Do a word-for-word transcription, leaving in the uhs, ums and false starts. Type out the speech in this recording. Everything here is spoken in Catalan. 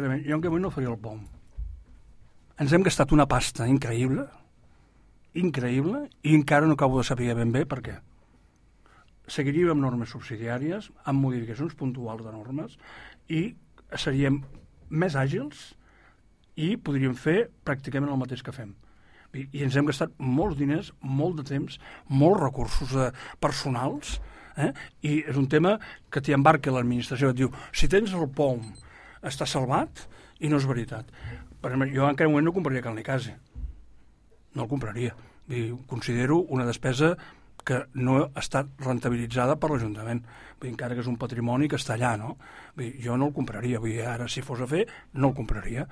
Jo en què moment no faria el P O M. Ens hem gastat una pasta increïble, increïble, i encara no acabo de saber ben bé per què. Seguiríem amb normes subsidiàries, amb modificacions puntuals de normes, i seríem més àgils i podríem fer pràcticament el mateix que fem. I, i ens hem gastat molts diners, molt de temps, molts recursos eh, personals, eh? I és un tema que t'hi embarca l'administració, et diu, si tens el P O M, està salvat, i no és veritat. Per exemple, jo en aquell moment no compraria Cal Nicasi. No el compraria. I considero una despesa que no ha estat rentabilitzada per l'Ajuntament. Vull dir, encara que és un patrimoni que està allà, no? Vull dir, jo no el compraria. Vull dir, ara, si fos a fer, no el compraria.